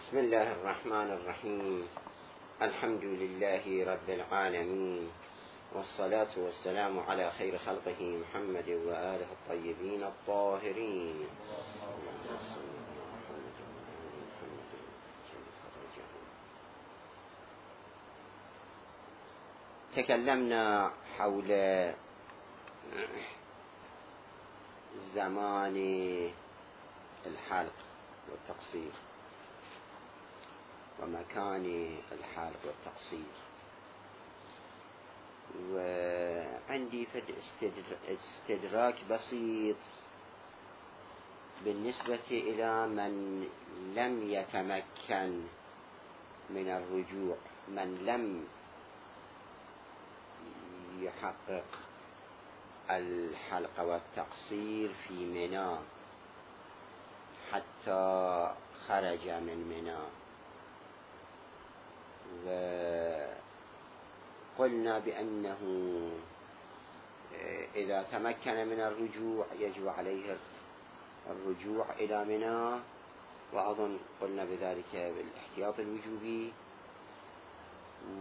بسم الله الرحمن الرحيم. الحمد لله رب العالمين، والصلاة والسلام على خير خلقه محمد وآله الطيبين الطاهرين. تكلمنا حول زمان الحلق والتقصير ومكان الحلق والتقصير، وعندي استدراك بسيط بالنسبة إلى من لم يتمكن من الرجوع، من لم يحقق الحلق والتقصير في منى حتى خرج من منى. وقلنا بأنه إذا تمكن من الرجوع يجب عليه الرجوع إلى منى، وأظن قلنا بذلك بالاحتياط الوجوبي.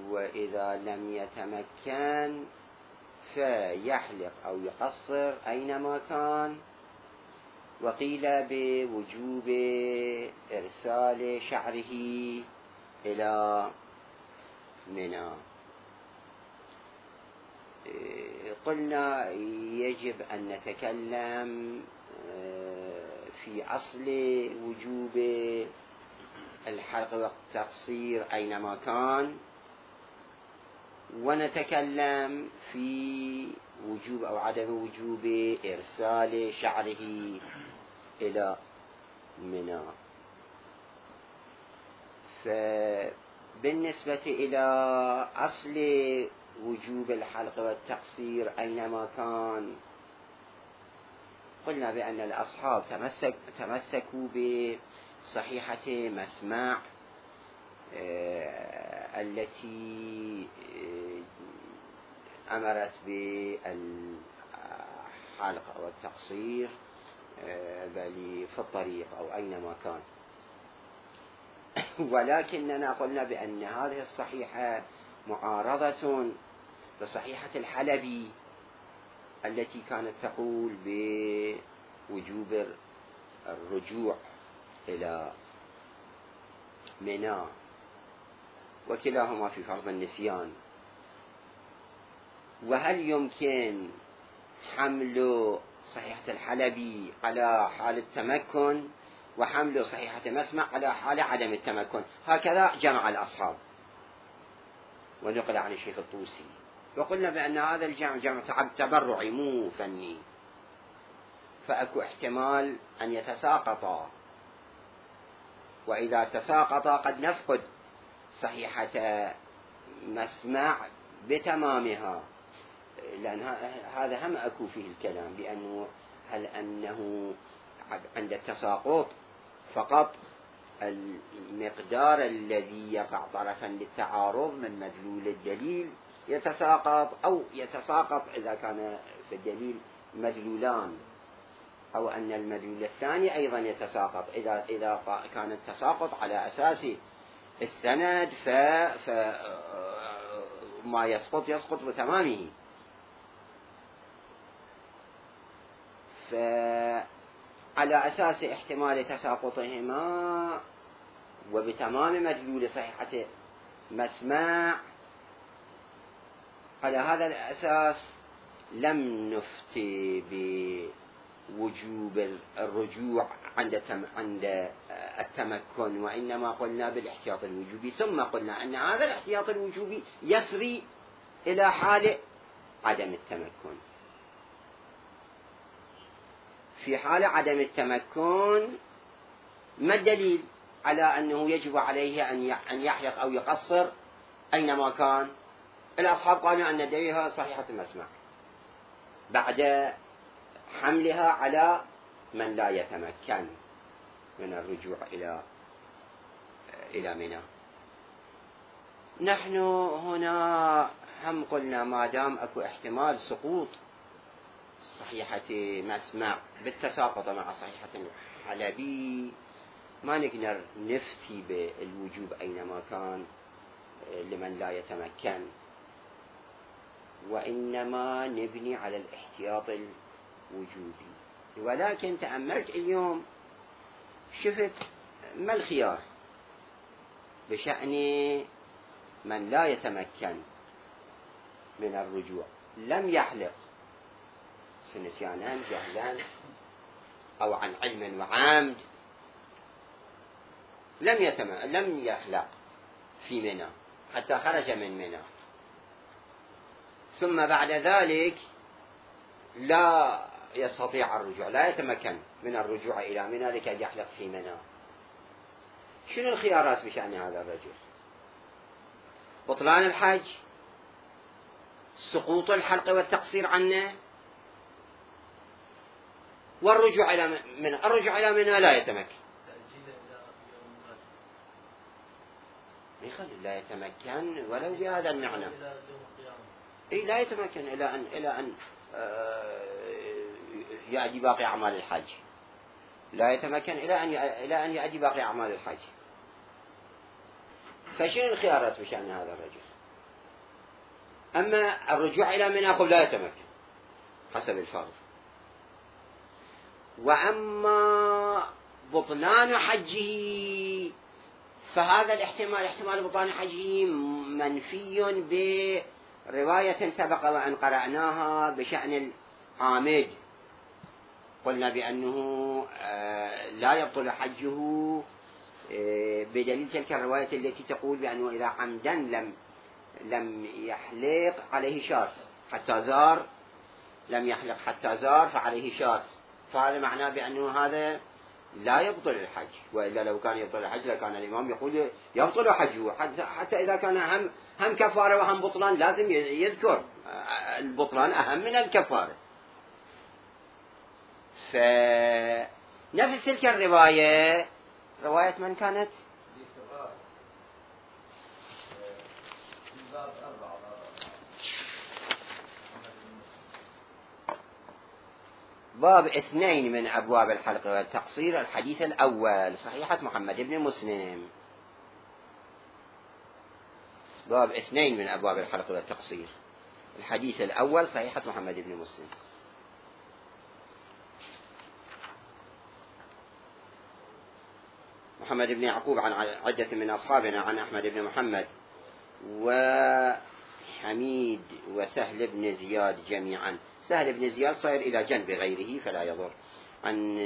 وإذا لم يتمكن فيحلق أو يقصر أينما كان، وقيل بوجوب إرسال شعره إلى منى. قلنا يجب أن نتكلم في أصل وجوب الحلق والتقصير أينما كان، ونتكلم في وجوب أو عدم وجوب إرسال شعره إلى منى. فبالنسبة إلى أصل وجوب الحلق والتقصير أينما كان، قلنا بأن الأصحاب تمسكوا بصحيحة مسمع التي أمرت بالحلق والتقصير بل في الطريق أو أينما كان. ولكننا قلنا بأن هذه الصحيحة معارضة بصحيحة الحلبي التي كانت تقول بوجوب الرجوع إلى منى، وكلاهما في فرض النسيان. وهل يمكن حمل صحيحة الحلبي على حال التمكن وحمل صحيحة مسمع على حال عدم التمكن؟ هكذا جمع الأصحاب، ونقل عن الشيخ الطوسي. وقلنا بأن هذا الجمع جمع تبرعي مو فني، فأكو احتمال أن يتساقطا، وإذا تساقطا قد نفقد صحيحة مسمع بتمامها، لأن هذا هم أكو فيه الكلام بأنه هل أنه عند التساقط فقط المقدار الذي يقع طرفا للتعارض من مدلول الدليل يتساقط، أو يتساقط إذا كان في الدليل مدلولان، أو أن المدلول الثاني أيضا يتساقط إذا كان التساقط على أساس السند فما يسقط بتمامه. فعلى أساس احتمال تساقطهما وبتمام مدلول صحيحة مسمع، على هذا الأساس لم نفتي بوجوب الرجوع عند التمكن، وإنما قلنا بالاحتياط الوجوبي. ثم قلنا أن هذا الاحتياط الوجوبي يسري إلى حال عدم التمكن. في حال عدم التمكن ما الدليل على أنه يجب عليه أن يحلق أو يقصر أينما كان؟ الأصحاب قالوا أن دليلها صحيحة المسمع بعد حملها على من لا يتمكن من الرجوع إلى منى. نحن هنا هم قلنا ما دام أكو احتمال سقوط صحيحة مسمع بالتساقط مع صحيحة الحلبي، ما نقدر نفتي بالوجوب أينما كان لمن لا يتمكن، وإنما نبني على الاحتياط الوجوبي. ولكن تأملت اليوم شفت ما الخيار بشأن من لا يتمكن من الرجوع، لم يحلق نسيانا جهلا أو عن علم وعمد، لم يحلق في منى حتى خرج من منى، ثم بعد ذلك لا يستطيع الرجوع، لا يتمكن من الرجوع إلى منى لكي يحلق في منى. شنو الخيارات بشأن هذا الرجل؟ بطلان الحج، سقوط الحلق والتقصير عنه، والرجوع إلى منى. الرجوع إلى منى لا يتمكن، لا يتمكن ولو بهذا المعنى. لا يتمكن إلى أن يأدي باقي أعمال الحج، لا يتمكن إلى أن يأدي باقي أعمال الحج. فشنو الخيارات بشأن هذا الرجل؟ أما الرجوع إلى منى لا يتمكن حسب الفرض، وأما بطلان حجه فهذا احتمال بطلان حجه منفي برواية سبق وأن قرأناها بشأن العامد، قلنا بأنه لا يبطل حجه بدليل تلك الرواية التي تقول بأنه إذا عمدا لم يحلق عليه شاة حتى زار، لم يحلق حتى زار فعليه شاة، فهذا معناه بأنه هذا لا يبطل الحج. وإلا لو كان يبطل الحج لكان الإمام يقول يبطل حجه، حتى إذا كان هم كفارة وهم بطلان لازم يذكر البطلان أهم من الكفارة. فنفس تلك الرواية، رواية من كانت؟ باب 2 من أبواب الحلق والتقصير، الحديث الأول، صحيحة محمد بن مسلم. باب 2 من أبواب الحلق والتقصير، الحديث الأول، صحيحة محمد بن مسلم. محمد بن يعقوب عن عدة من أصحابنا عن أحمد بن محمد وحميد وسهل بن زياد جميعا. سهل بن زياد صير إلى جنب غيره فلا يضر. عن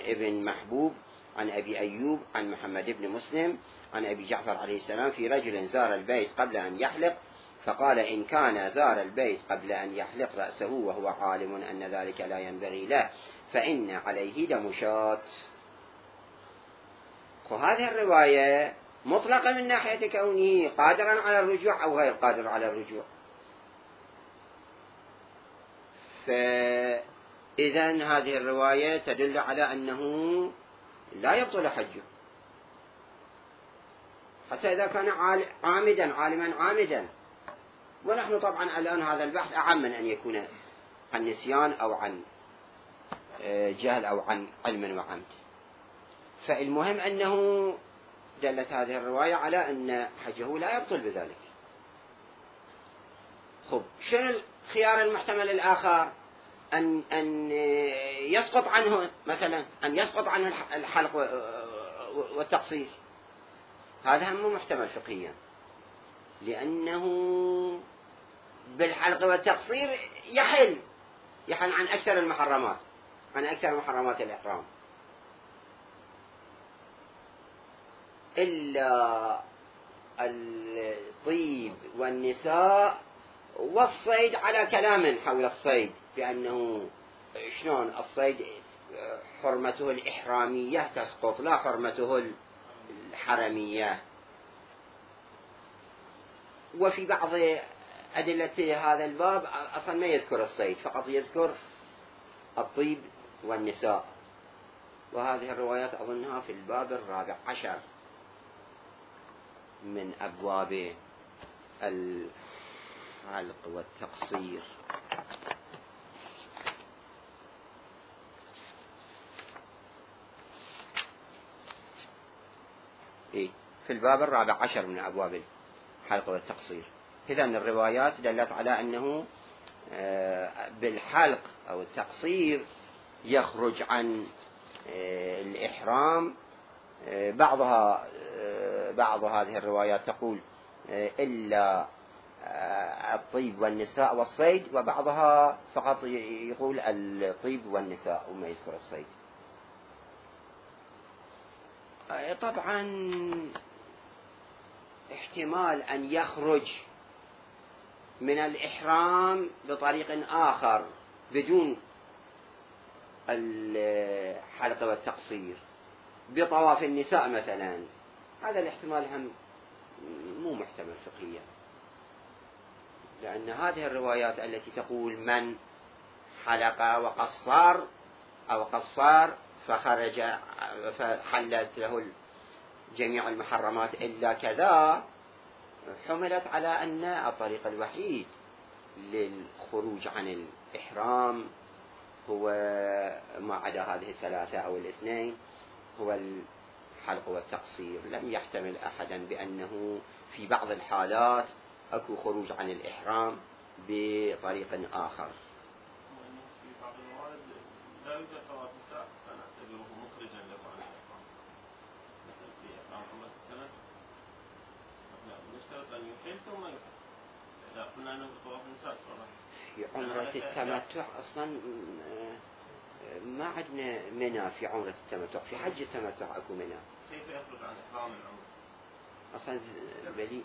ابن محبوب عن أبي أيوب عن محمد بن مسلم عن أبي جعفر عليه السلام في رجل زار البيت قبل أن يحلق فقال إن كان زار البيت قبل أن يحلق رأسه وهو عالم أن ذلك لا ينبغي له فإن عليه دم شاة. وهذه الرواية مطلقة من ناحية كونه قادرا على الرجوع أو غير قادر على الرجوع. فإذن هذه الرواية تدل على أنه لا يبطل حجه حتى إذا كان عالما عامدا. ونحن طبعا الآن هذا البحث أعم من أن يكون عن نسيان أو عن جهل أو عن علم وعمد. فالمهم أنه دلت هذه الرواية على أن حجه لا يبطل بذلك. خب، شنو الخيار المحتمل الآخر؟ أن يسقط عنه مثلا، أن يسقط عنه الحلق والتقصير. هذا هم محتمل فقهيا، لأنه بالحلق والتقصير يحل عن أكثر المحرمات، عن أكثر محرمات الإحرام، إلا الطيب والنساء والصيد على كلام حول الصيد، بأنه شلون الصيد حرمته الإحرامية تسقط لا حرمته الحرمية. وفي بعض أدلة هذا الباب أصلا ما يذكر الصيد، فقط يذكر الطيب والنساء. وهذه الروايات أظنها في الباب 14 من أبواب الحلق والتقصير. في الباب 14 من أبواب الحلق والتقصير. إذا الروايات دلت على أنه بالحلق أو التقصير يخرج عن الإحرام. بعض هذه الروايات تقول إلا الطيب والنساء والصيد، وبعضها فقط يقول الطيب والنساء وما يذكر الصيد. طبعا احتمال أن يخرج من الإحرام بطريق آخر بدون الحلق والتقصير، بطواف النساء مثلا، هذا الاحتمال هم مو محتمل فقهيا، لأن هذه الروايات التي تقول من حلق وقصر أو قصر فخرج فحلت له جميع المحرمات إلا كذا، حملت على أن الطريق الوحيد للخروج عن الإحرام هو ما عدا هذه الثلاثة أو الاثنين هو الحلق والتقصير. لم يحتمل أحدا بأنه في بعض الحالات أكو خروج عن الإحرام بطريق آخر. في بعض الموارد لا يوجد طواف نساء فنعتبره مخرجا له عن الإحرام، مثل في إحرام عمرة التمتع نشترط أن يحل ثم يحل. إذا قلنا أنه طواف النساء في عمرة التمتع أصلا ما عندنا منى في عمرة التمتع، في حج التمتع أكو منى. كيف يخرج عن إحرام العمرة؟ أصلا بلي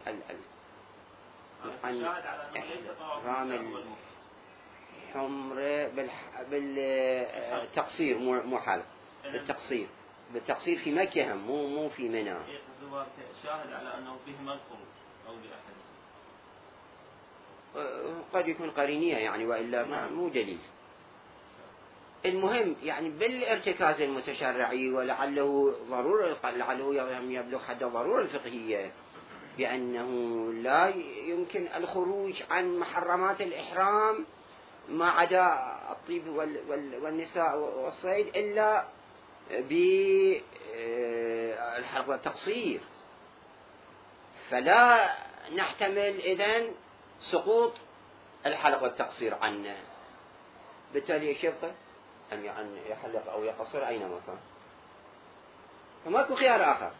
الشاهد على أنه ليس طواف النساء حمرة بالتقصير مو حلق، بالتقصير في مكة هم مو في منى. شاهد على أنه بهما الخروج أو لأحد قد يكون قرينية يعني، وإلا مو دليل. المهم يعني بالارتكاز المتشرعي، ولعله يبلغ حد الضرورة الفقهية بأنه لا يمكن الخروج عن محرمات الإحرام ما عدا الطيب والنساء والصيد إلا بالحلق والتقصير، فلا نحتمل إذن سقوط الحلق والتقصير عنه. بالتالي ايش يبقى؟ أن يحلق أو يقصر أينما كان، فماكو خيار آخر.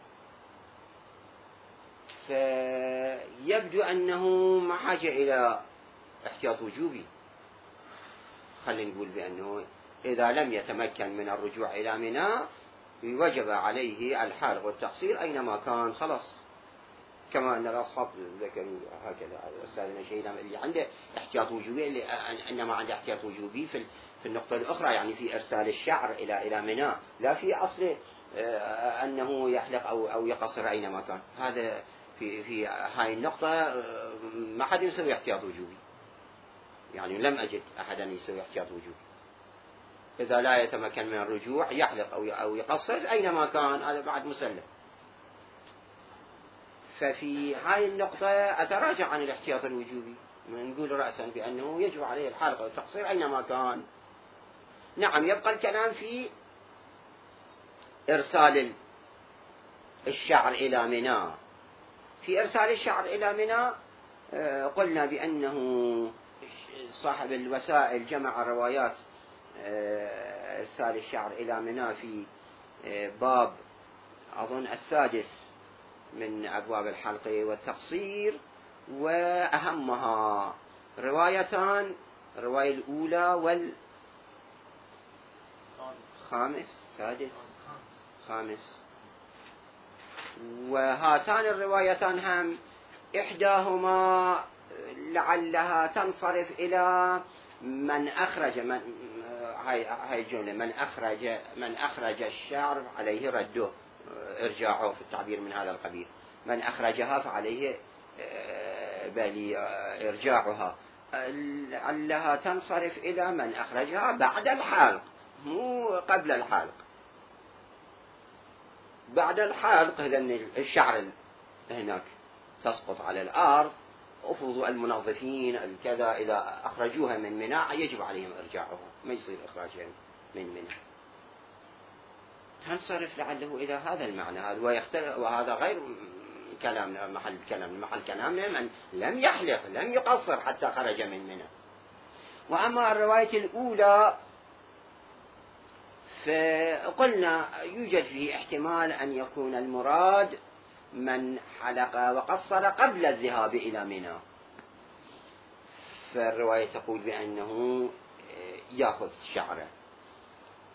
فيبدو أنه ما حاجة إلى احتياط وجوبي. خلينا نقول بأنه إذا لم يتمكن من الرجوع إلى منى وجب عليه الحلق والتقصير أينما كان، خلاص. كما أن الأصحاب ذكروا هكذا أستاذنا شيء اللي عنده احتياط وجوبي، اللي إنما عنده احتياط وجوبي في النقطة الأخرى، يعني في إرسال الشعر إلى منى، لا في أصل أنه يحلق أو يقصر أينما كان. هذا في هاي النقطة ما حد يسوي احتياط وجوبي، يعني لم أجد أحدا يسوي احتياط وجوبي. إذا لا يتمكن من الرجوع يحلق أو يقصر أينما كان، هذا بعد مسلم. ففي هاي النقطة أتراجع عن الاحتياط الوجوبي، نقول رأسا بأنه يجب عليه الحلق والتقصير أينما كان. نعم، يبقى الكلام في إرسال الشعر إلى منى. في إرسال الشعر إلى منى قلنا بأنه صاحب الوسائل جمع روايات إرسال الشعر إلى منى في باب أظن 6 من أبواب الحلق والتقصير، وأهمها روايتان، الرواية الأولى خامس. وهاتان الروايتان هم إحداهما لعلها تنصرف إلى من أخرج هاي الجملة، من أخرج الشعر عليه رده، إرجاعه في التعبير من هذا القبيل. من أخرجها فعليه إرجاعها. لعلها تنصرف إلى من أخرجها بعد الحلق، مو قبل الحلق. بعد الحلق لأن الشعر هناك تسقط على الأرض، أفرضوا المنظفين الكذا إذا أخرجوها من منى يجب عليهم إرجاعها، ما يصير إخراجها من منى. تنصرف لعله إلى هذا المعنى هذا، وهذا غير كلامنا، محل كلامنا من لم يحلق لم يقصر حتى خرج من منى. وأما الرواية الأولى فقلنا يوجد فيه احتمال أن يكون المراد من حلق وقصر قبل الذهاب إلى منى، فالرواية تقول بأنه يأخذ شعره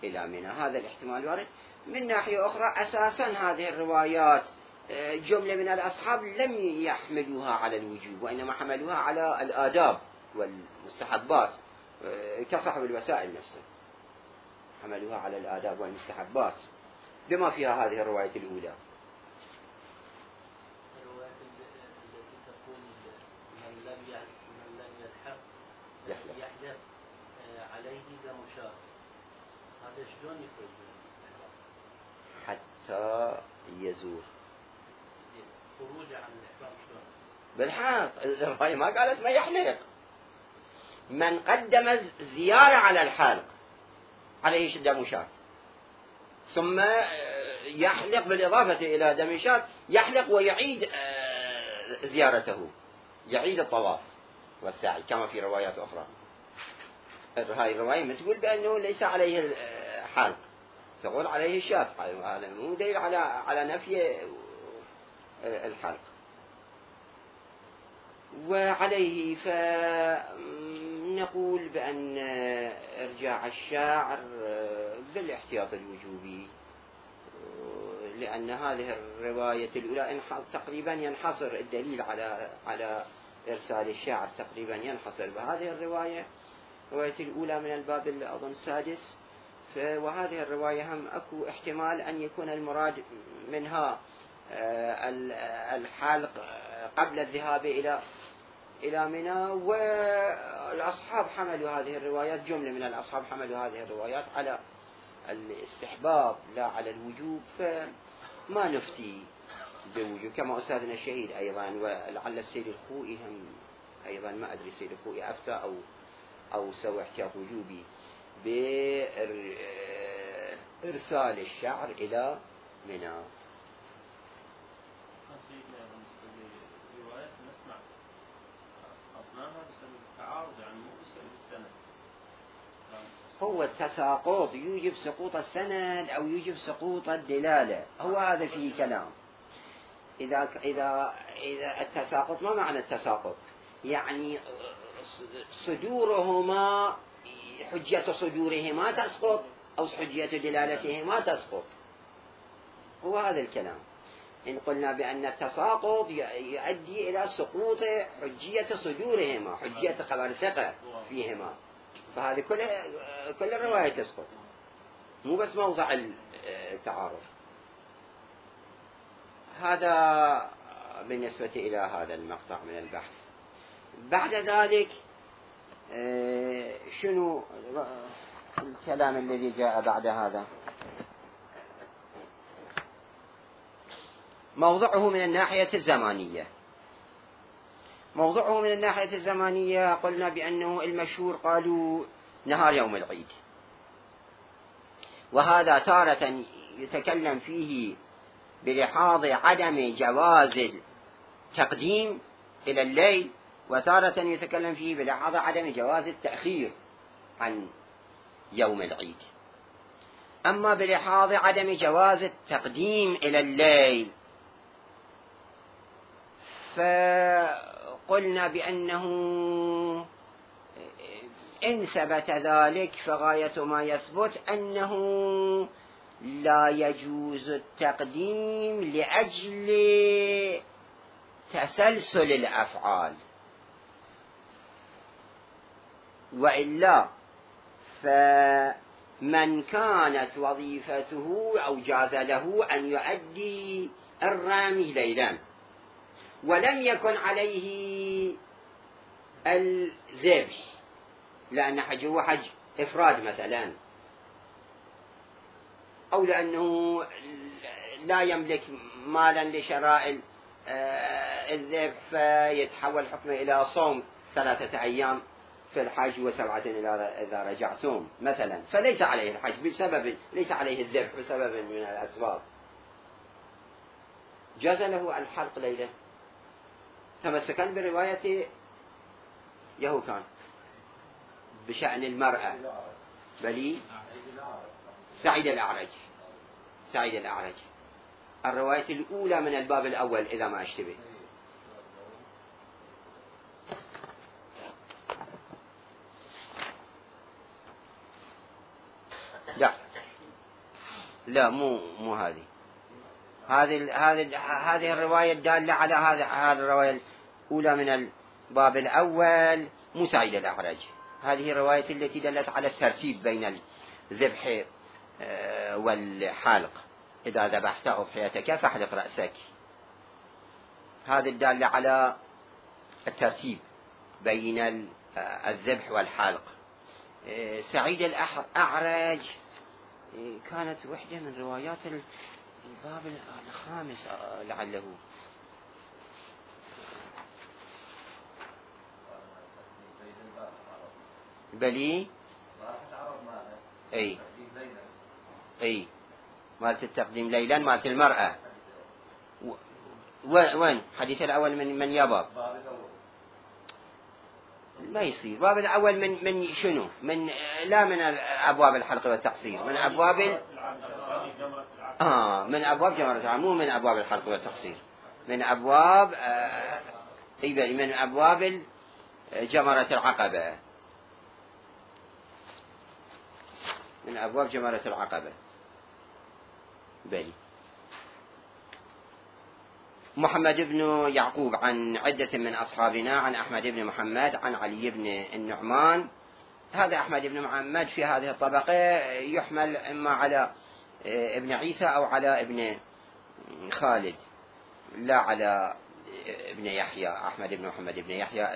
إلى منى، هذا الاحتمال وارد. من ناحية أخرى أساسا هذه الروايات جملة من الأصحاب لم يحملوها على الوجوب، وإنما حملوها على الآداب والمستحبات، كصاحب الوسائل نفسه حملوها على الآداب والمستحبات بما فيها هذه الرواية الأولى. الرواية التي تقول من لم يحلق عليه دم شاة، هذا شلون يخرج حتى يزور؟ خروج عن الإحرام شلون؟ بالحق الرواية ما قالت ما يحلق، من قدم زيارة على الحلق عليه دم شاة، ثم يحلق بالإضافة إلى دم شاة، يحلق ويعيد زيارته، يعيد الطواف والسعي كما في روايات أخرى. هاي الرواية ما تقول بأنه ليس عليه حلق، تقول عليه الشاة، هذا مو دليل على نفي الحلق. وعليه فنقول بأن إرجاع الشاعر بالاحتياط الوجوبي، لأن هذه الرواية الأولى تقريبا ينحصر الدليل على إرسال الشاعر، تقريبا ينحصر بهذه الرواية الأولى من الباب أظن السادس. وهذه الرواية هم أكو احتمال أن يكون المراد منها الحلق قبل الذهاب إلى منى، والأصحاب حملوا هذه الروايات، جملة من الأصحاب حملوا هذه الروايات على الاستحباب لا على الوجوب، فما نفتي بوجوب كما أستاذنا الشهيد أيضا، ولعل السيد الخوئي هم أيضا، ما أدري السيد الخوئي أفتى أو سوى احتياط وجوبي بإرسال الشعر إلى منى. سيدنا بالنسبة لروايات نسمع أسقطناها بسبب التعارض، يعني مو بسبب السند. هو التساقط يوجب سقوط السند أو يوجب سقوط الدلالة، هو هذا فيه كلام. إذا التساقط، ما معنى التساقط؟ يعني صدورهما، حجية صدورهما تسقط أو حجية دلالتهما تسقط، هو هذا الكلام. إن قلنا بأن التساقط يؤدي إلى سقوط حجية صدورهما، حجية خبر ثقة فيهما، فهذه كل الرواية تسقط، مو بس موضع التعارض. هذا بالنسبة إلى هذا المقطع من البحث. بعد ذلك شنو الكلام الذي جاء بعد هذا؟ موضعه من الناحية الزمانية. موضعه من الناحية الزمانية قلنا بأنه المشهور قالوا نهار يوم العيد، وهذا تارة يتكلم فيه بلحاظ عدم جواز التقديم إلى الليل، وتارة يتكلم فيه بلحاظ عدم جواز التأخير عن يوم العيد. أما بلحاظ عدم جواز التقديم إلى الليل فقلنا بأنه إن ثبت ذلك فغاية ما يثبت أنه لا يجوز التقديم لأجل تسلسل الأفعال، وإلا فمن كانت وظيفته أو جاز له أن يؤدي الرامي ليلا ولم يكن عليه الذبح، لأن حجه حج إفراد مثلا، أو لأنه لا يملك مالا لشراء الذبح فيتحول حكمه إلى صوم 3 أيام في الحج و7 إذا رجعتم مثلا، فليس عليه الحج بسبب، ليس عليه الذبح بسبب من الأسباب، جاز له الحلق ليلة تمسكا برواية يهوكان بشأن المرأة بلي سعيد الأعرج الرواية الأولى من الباب الأول إذا ما أشتبه. لا مو هذه الرواية الدالة على هذه الرواية الأولى من الباب الأول مو سعيد الأعرج. هذه الرواية التي دلت على الترتيب بين الذبح والحلق، إذا ذبحت أضحيتك فاحلق رأسك، هذا الدالة على الترتيب بين الذبح والحلق. سعيد الأعرج كانت وحدة من روايات الباب الخامس لعله. بلي اي مالت التقديم ليلا مالت المرأة. وين حديث الأول من يا باب؟ ما يصير باب الأول من شنو؟ لا من أبواب الحلق والتقصير، من أبواب من أبواب جمرة، مو من أبواب الحلق والتقصير، من أبواب من أبواب جمرة العقبة، من أبواب جمرة العقبة. بلي محمد بن يعقوب عن عدة من أصحابنا عن أحمد بن محمد عن علي بن النعمان. هذا أحمد بن محمد في هذه الطبقة يحمل إما على ابن عيسى أو على ابن خالد، لا على ابن يحيى، أحمد بن محمد بن يحيى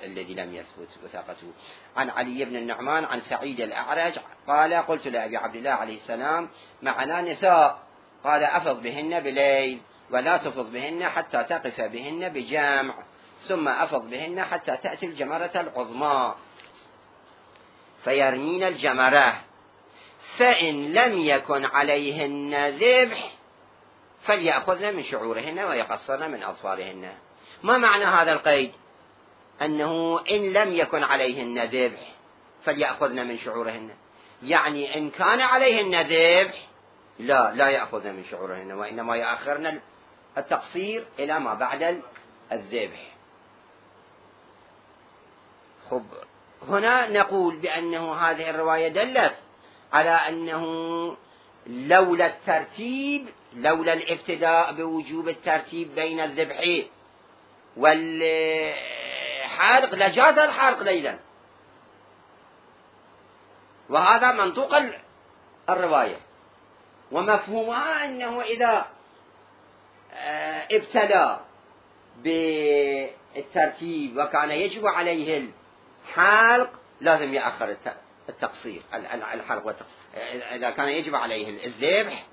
الذي لم يثبت وثاقته. عن علي بن النعمان عن سعيد الأعرج قال قلت لأبي عبد الله عليه السلام معنا نساء، قال أفض بهن بليل ولا تفض بهن حتى تقف بهن بجمع، ثم أفض بهن حتى تأتي الجمرة العظمى فيرمين الجمرة، فإن لم يكن عليهن ذبح فليأخذن من شعورهن ويقصرن من أظفارهن. ما معنى هذا القيد؟ أنه إن لم يكن عليهن ذبح فليأخذن من شعورهن، يعني إن كان عليهن ذبح لا يأخذن من شعورهن، وإنما يأخرن التقصير إلى ما بعد الذبح. خب هنا نقول بأنه هذه الرواية دلت على أنه لولا الترتيب، لولا الابتداء بوجوب الترتيب بين الذبح والحلق لجاز الحلق ليلا، وهذا منطوق الرواية. ومفهومها أنه إذا ابتدى بالترتيب وكان يجب عليه الحلق لازم يأخر التقصير، الحلق والتقصير. إذا كان يجب عليه الذبح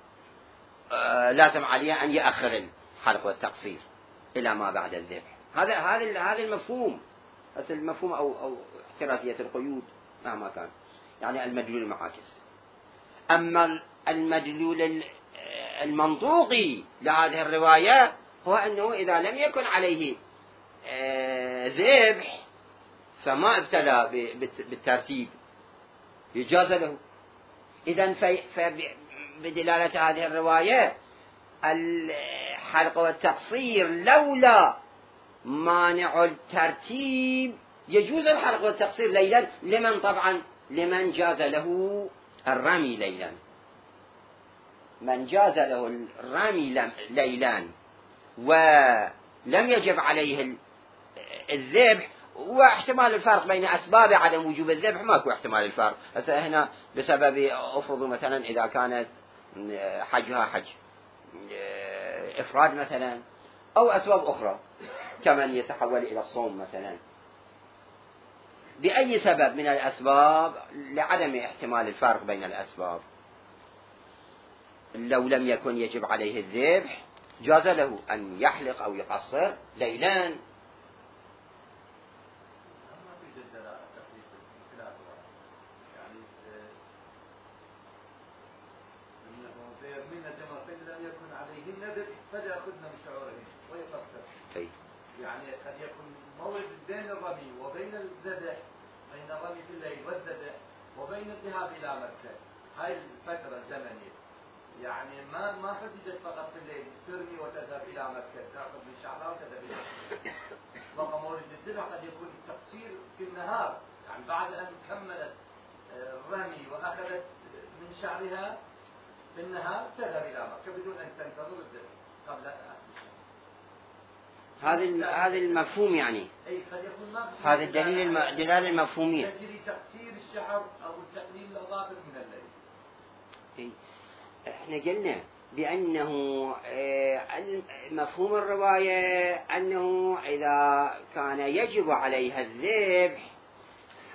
لازم عليه أن يأخر الحلق والتقصير إلى ما بعد الذبح. هذا المفهوم، بس المفهوم أو احترازية القيود مهما كان، يعني المدلول المعاكس. أما المدلول المنطوقي لهذه الرواية هو أنه إذا لم يكن عليه ذبح فما ابتلى بالترتيب يجاز له. إذن بدلالة هذه الرواية الحلق والتقصير لولا مانع الترتيب يجوز الحلق والتقصير ليلا، لمن طبعا لمن جاز له الرمي ليلا، من جاز له الرمي ليلا ولم يجب عليه الذبح. واحتمال الفرق بين أسباب عدم وجوب الذبح ماكو احتمال الفرق. هنا بسبب أفرض مثلا إذا كانت حجها حج إفراد مثلا، أو أسباب أخرى كمن يتحول إلى الصوم مثلا، بأي سبب من الأسباب لعدم احتمال الفرق بين الأسباب لو لم يكن يجب عليه الذبح جاز له أن يحلق أو يقصر ليلا. يعني قد يكون المورد بين الرمي وبين الذبح، بين الرمي في الليل والذبح وبين الذهاب إلى مكة، هاي الفترة الزمنية يعني ما حددت فقط في الليل ترمي وتذهب إلى مكة، تأخذ من شعرها وتذهب إلى مكة. بقى مورد الذبح قد يكون التقصير في النهار، يعني بعد أن كملت الرمي وأخذت من شعرها في النهار تذهب إلى مكة بدون أن تنتظر الذبح قبل هذا المفهوم يعني. أي قد يكون ما هذا الدلالة المفهومية. تجري تقصير الشعر أو تقليل الأظافر من الليل. احنا قلنا بأنه مفهوم الرواية أنه إذا كان يجب عليها الذبح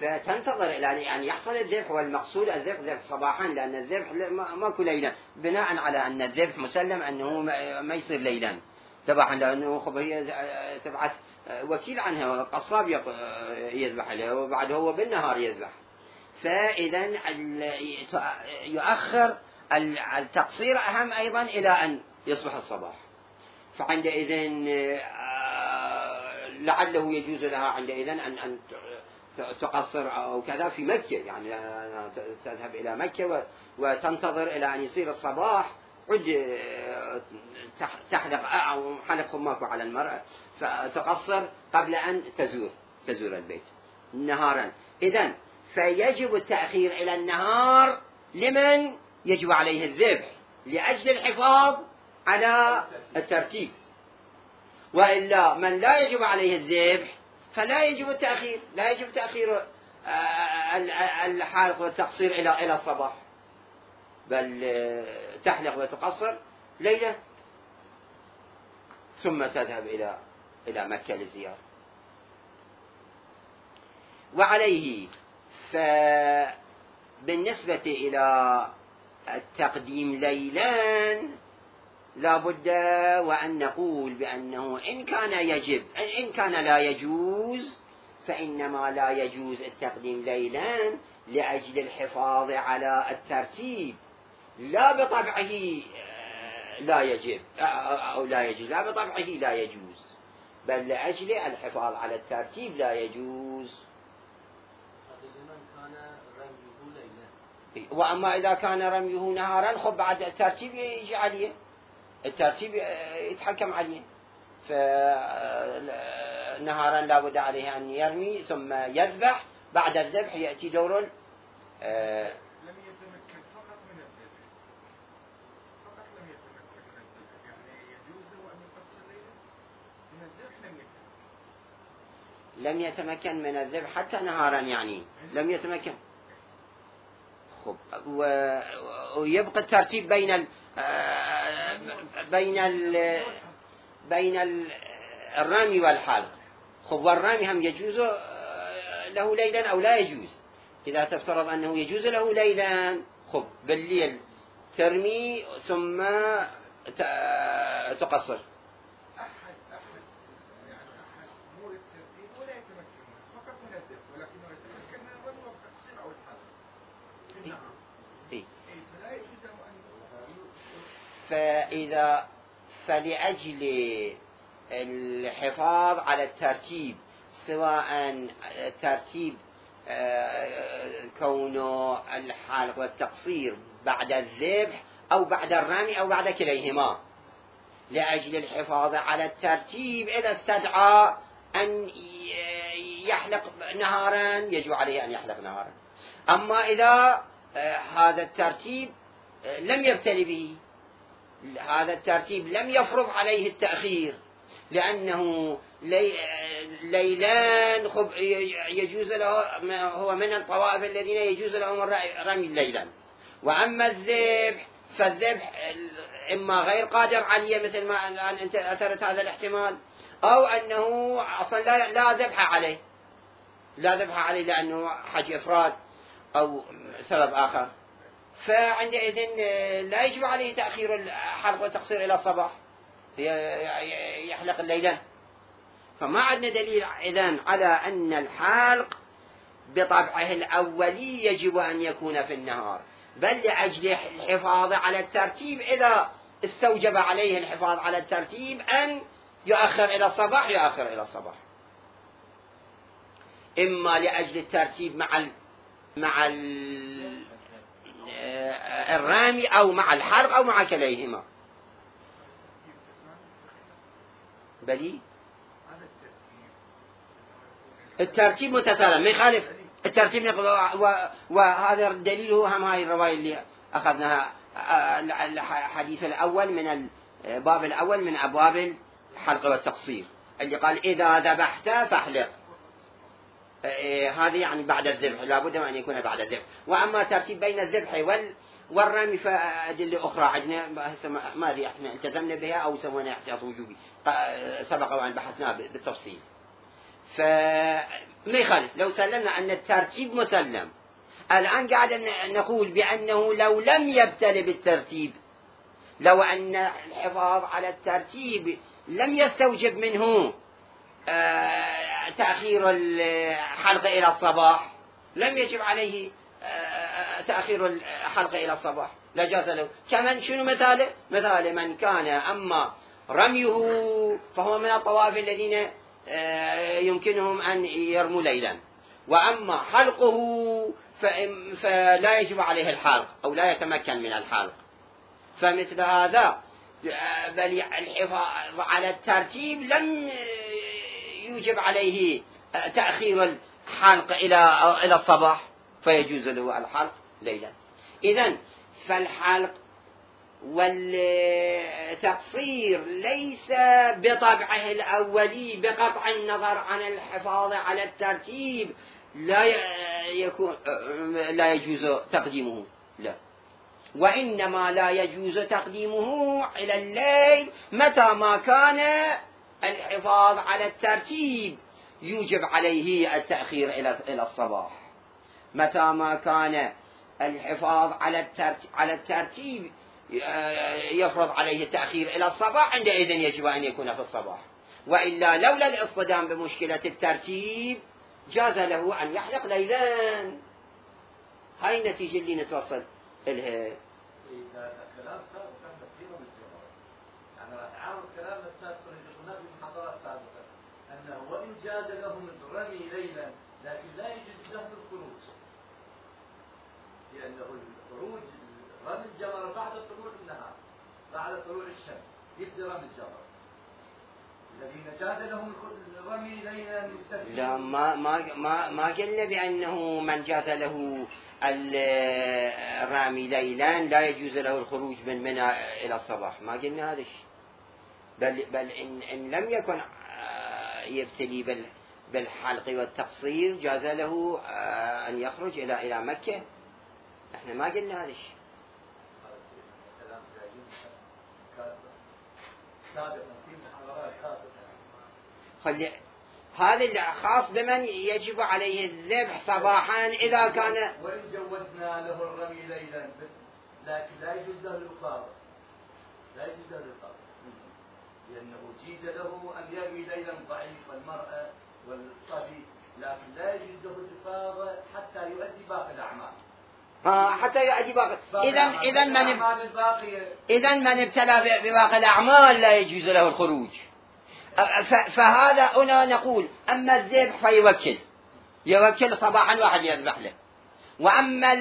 فتنتظر إلى أن يحصل الذبح، والمقصود الذبح صباحا، لأن الذبح ماكو ليلا، بناء على أن الذبح مسلم أنه ما يصير ليلا صباحا، لأنه هي تبعث وكيل عنها، القصاب يذبح له وبعد هو بالنهار يذبح، فإذا يؤخر التقصير أهم أيضا إلى أن يصبح الصباح، فعندئذ لعله يجوز لها عندئذ أن تقصر أو كذا في مكة، يعني تذهب إلى مكة وتنتظر إلى أن يصير الصباح، عد تحلق أو حلق خماك على المرأة فتقصر قبل أن تزور البيت نهارا. إذن فيجب التأخير إلى النهار لمن يجب عليه الذبح لأجل الحفاظ على الترتيب، وإلا من لا يجب عليه الذبح فلا يجب التأخير، لا يجب تأخير الحلق والتقصير إلى الصباح، بل تحلق وتقصر ليلة ثم تذهب إلى مكة للزيارة. وعليه فبالنسبة إلى التقديم ليلا لا بد وأن نقول بأنه إن كان لا يجوز فإنما لا يجوز التقديم ليلا لأجل الحفاظ على الترتيب، لا بطبعه لا يجب أو لا يجوز، لا بطبعه لا يجوز، بل لأجل الحفاظ على الترتيب لا يجوز. وأما إذا كان رميه نهارا خب بعد الترتيب يجي عليه، الترتيب يتحكم عليه، فنهارا لا بد عليه أن يرمي ثم يذبح، بعد الذبح يأتي دور لم يتمكن فقط من الذبح، فقط لم يتمكن من الذبح، يعني يجوز له أن يقصر ليلا من الذبح، لم يتمكن من الذبح حتى نهارا، يعني لم يتمكن. خب ويبقى الترتيب بين الرمي والحلق. خب والرمي هم يجوز له ليلا أو لا يجوز؟ إذا تفترض أنه يجوز له ليلا، خب بالليل ترمي ثم تقصر. أحد يعني أحد أمور الترتيب ولا يتمكن فقط من الذبح، ولكنه يتمكن من الرمي والتقصير أو الحلق في النهار. فلا يجوز له أن فلأجل الحفاظ على الترتيب، سواء ترتيب كونه الحلق والتقصير بعد الذبح أو بعد الرمي أو بعد كليهما، لأجل الحفاظ على الترتيب إذا استدعى أن يحلق نهارا يجب عليه أن يحلق نهارا. أما إذا هذا الترتيب لم يبتلي به، هذا الترتيب لم يفرض عليه التأخير، لأنه ليلان يجوز له، هو من الطوائف الذين يجوز لهم رمي ليلا، وأما الذبح فالذبح إما غير قادر عليه مثل ما الآن أنت أثرت هذا الاحتمال، أو أنه أصلا لا ذبح عليه، لا ذبح عليه لأنه حج إفراد أو سبب آخر، فعندئذ لا يجب عليه تأخير الحلق والتقصير إلى الصباح، يحلق الليلة. فما عندنا دليل إذن على أن الحلق بطبعه الأولي يجب أن يكون في النهار، بل لأجل الحفاظ على الترتيب إذا استوجب عليه الحفاظ على الترتيب أن يؤخر إلى الصباح يؤخر إلى الصباح، إما لأجل الترتيب مع الرامي أو مع الحرق أو مع كليهما. بلي الترتيب متسالم ما يخالف الترتيب، وهذا الدليل هو هم هاي الرواية اللي أخذناها الحديث الأول من الباب الأول من أبواب الحلق والتقصير، اللي قال إذا ذبحت فاحلق، هذه يعني بعد الذبح، لابد أن يكون بعد الذبح. وأما ترتيب بين الذبح والرمي فأدلة أخرى عندنا ما أدري احنا التزمنا بها أو سوينا احتياط وجوبي، سبق وأن بحثنا بالتفصيل. فما يخالف لو سلمنا أن الترتيب مسلم. الآن قاعد نقول بأنه لو لم يبتل بالترتيب، لو أن الحفاظ على الترتيب لم يستوجب منه تأخير الحلق إلى الصباح، لم يجب عليه تأخير الحلق إلى الصباح، لا جاز له. كمن شنو مثاله؟ مثال من كان أما رميه فهو من الطواف الذين يمكنهم أن يرموا ليلا، وأما حلقه فلا يجب عليه الحلق أو لا يتمكن من الحلق. فمثل هذا بل الحفاظ على الترتيب لم يوجب عليه تأخير الحلق إلى الصباح، فيجوز له الحلق ليلا. إذن فالحلق والتقصير ليس بطبعه الأولي بقطع النظر عن الحفاظ على الترتيب لا يجوز تقديمه، لا، وإنما لا يجوز تقديمه إلى الليل متى ما كان الحفاظ على الترتيب يوجب عليه التأخير إلى الصباح. متى ما كان الحفاظ على الترتيب يفرض عليه التأخير إلى الصباح، عندئذ يجب أن يكون في الصباح. وإلا لولا الاصطدام بمشكلة الترتيب جاز له أن يحلق ليلا. هاي النتيجة اللي نتوصل إلها. كلام سابق كان تفكيره بالجواب. يعني عارض كلام السابق اللي قلنا في المحاضرة السابقة أنه وإن جاز لهم الرمي ليلا لكن لا يجوز لهم الخروج، لأنه الخروج رمي الجمر بعد طلوع النهار، بعد طلوع الشمس يبدأ رمي الجمر. الذين جاز لهم الرمي ليلا يستفيدون. لا ما قلنا بأنه من جاز له الرامي ليلا لا يجوز له الخروج من منى إلى الصباح، ما قلنا هذا الشيء. بل إن لم يكن يبتلي بالحلق والتقصير جاز له أن يخرج إلى مكة. احنا ما قلنا هذا الشيء. هذا خاص بمن يجب عليه الذبح صباحا إذا كان. وإن جوزنا له الرمي ليلا لكن لا يجوز له الإفاضة، لا يجوز له الإفاضة، لأنه جيز له أن يرمي ليلا ضعيف والمرأة والصبي، لكن لا يجوز له الإفاضة حتى يؤدي باقي الأعمال. حتى يؤدي باقي. إذا من ابتلى بباقي الأعمال لا يجوز له الخروج. فهذا هنا نقول أما الذبح فيوكل صباحا واحد يذبح له، وأما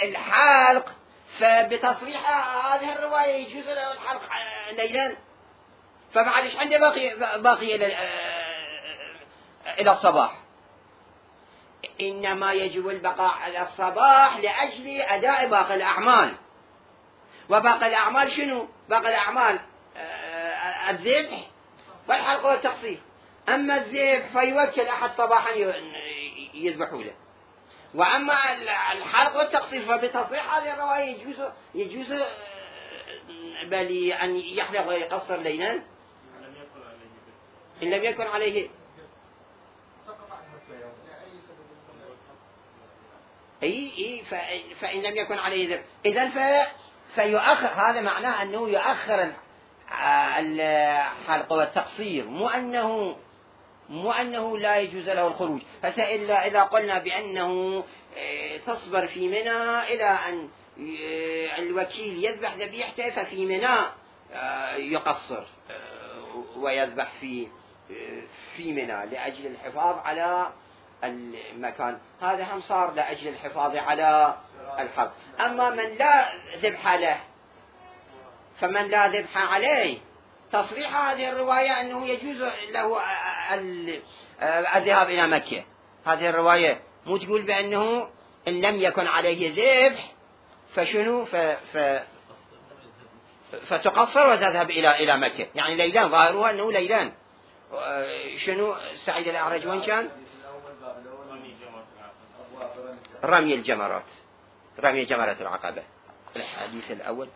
الحلق فبتصريح هذه الرواية يجوز له الحلق ليلا، فمعلش عنده باقي إلى الصباح. إنما يجب البقاء على الصباح لأجل أداء باقي الأعمال. وباقي الأعمال شنو؟ باقي الأعمال الذبح والحلق والتقصير. أما الذبح فيوكل أحد صباحا يذبحوا له، وأما الحلق والتقصير فبتصريح هذه الرواية يجوز بل أن يحلق ويقصر ليلا إن لم يكن عليه فإن لم يكن عليه ذبح. إذن فيؤخر. هذا معناه أنه يؤخر الحلق والتقصير، مو أنه لا يجوز له الخروج. فإلا إذا قلنا بأنه تصبر في منى إلى أن الوكيل يذبح ذبيحته ففي منى يقصر ويذبح في منى لأجل الحفاظ على المكان، هذا هم صار لأجل الحفاظ على الحرب. أما من لا ذبح له، فمن لا ذبح عليه، تصريح هذه الرواية أنه يجوز له الذهاب إلى مكة. هذه الرواية مو تقول بأنه إن لم يكن عليه ذبح فشنو فتقصر وتذهب إلى مكة، يعني ليلان، ظاهرها أنه ليلان. شنو سعيد الأعرج وين كان؟ رمي الجمرات، رمي جمرة العقبة، الحديث الأول.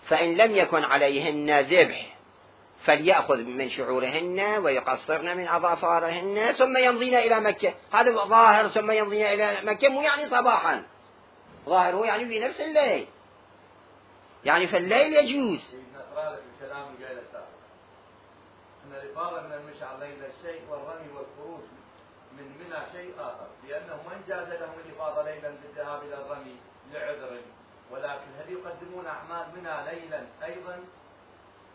فإن لم يكن عليهن ذبح فليأخذ من شعورهن ويقصرن من أظافارهن ثم يمضين إلى مكة. هذا ظاهر ثم يمضين إلى مكة، مو يعني صباحا، ظاهره يعني في نفس الليل، يعني في الليل يجوز. الكلام الجاي السابق أن الإفاضة من المشعر ليلة شيء والرمي والخروج من منى شيء آخر، لأنه من جاز لهم الإفاضة ليلا بالذهاب إلى الرمي لعذر، ولكن هل يقدمون أعمال منى ليلا أيضا؟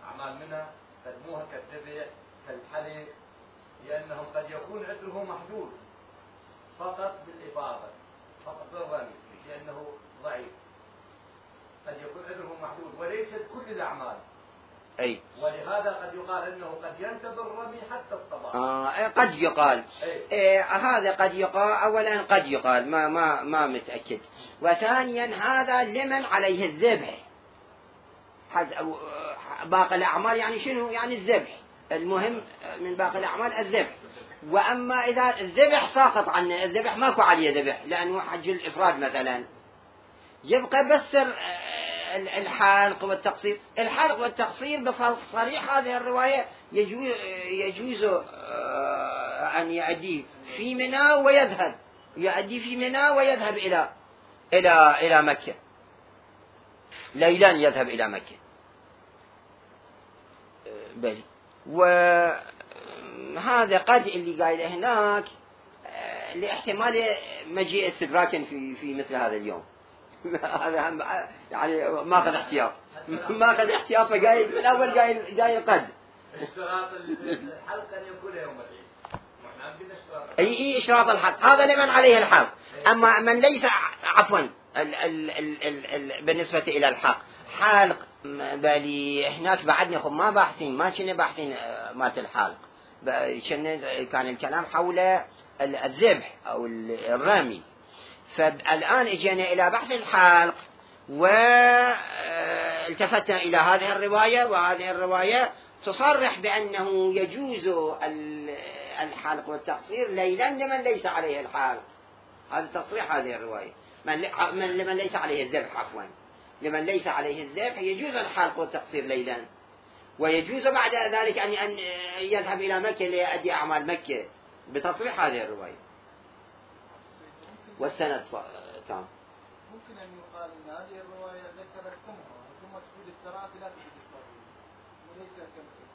أعمال منى قدموها كالذبح كالحلق، لأنهم قد يكون عذره محدود فقط بالإفاضة، فقط بالرمي، لأنه ضعيف، قد يكون عذره محدود وليست كل الأعمال. أي. ولهذا قد يقال أنه قد ينتظر الرمي حتى الصباح. قد يقال. هذا قد يقال، أولا قد يقال ما متأكد، وثانيا هذا لمن عليه الذبح. باقي الأعمال يعني شنو؟ يعني الذبح، المهم من باقي الأعمال الذبح. وأما إذا الذبح ساقط عنه، الذبح ماكو عليه ذبح لأنه حج الإفراد مثلا، يبقى بس الحلق والتقصير. الحلق والتقصير بصريح هذه الرواية يجوز أن يؤدي في منى ويذهب، يؤدي في منى ويذهب إلى مكة ليلا، يذهب إلى مكة. بل وهذا قد اللي قايل هناك لاحتمال مجيء استدراكا في مثل هذا اليوم. هذا يعني ماخذ احتياط، ماخذ احتياط، فقايل من اول قايل قد اشتراط الحلق ان يكون يوم العيد. اي اشراط الحلق هذا لمن عليه الحلق. اما من ليس، عفوا بالنسبة الى الحلق، حلق بالي هناك بعدنا ما باحثين، ما كنا باحثين مات الحلق، كان الكلام حول الذبح او الرمي. فالآن اجينا إلى بحث الحلق والتفتنا إلى هذه الرواية، وهذه الرواية تصرح بأنه يجوز الحلق والتقصير ليلا لمن ليس عليه الحلق. هذا تصريح هذه الرواية، لمن ليس عليه الذبح، عفوا لمن ليس عليه الذبح يجوز الحلق والتقصير ليلا، ويجوز بعد ذلك أن يذهب إلى مكة ليؤدي أعمال مكة بتصريح هذه الرواية. والسند تام. ممكن أن يقال أن هذه الرواية ذكرتكمها ثم تفيد التراء لا تفيد الفورية، وليس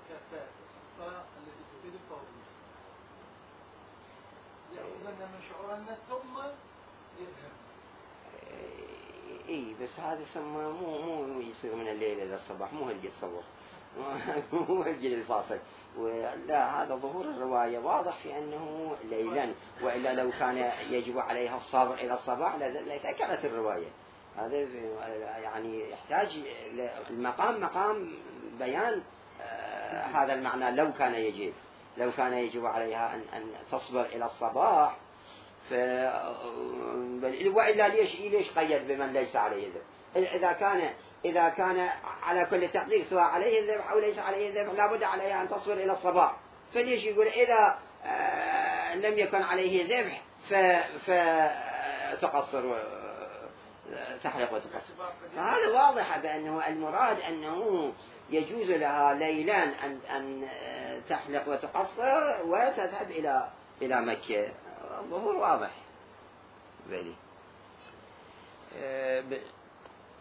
كالتراء التي تفيد الفورية. يأخذن من شعورنا ثم يذهب. اي بس هذا سمى مو يصير من الليل إلى الصباح، مو هالجي تصور، مو هالجي الفاصل. ولا هذا ظهور الرواية واضح في أنه ليلا، وإلا لو كان يجب عليها الصبر إلى الصباح لتأكدت الرواية. هذا يعني يحتاج المقام مقام بيان هذا المعنى. لو كان يجب عليها أن تصبر إلى الصباح، وإلا ليش قيد بمن ليس عليه ذبح؟ إذا كان على كل تقدير سواء عليه الذبح أو ليس عليه الذبح لابد عليها أن تصبر إلى الصباح، فليش يقول إذا لم يكن عليه ذبح فتقصر تحلق وتقصر. فهذا واضح بأنه المراد أنه يجوز لها ليلا أن تحلق وتقصر وتذهب إلى مكة. ظهور واضح.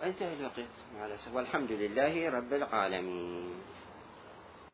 انتهى الوقت، والحمد لله رب العالمين.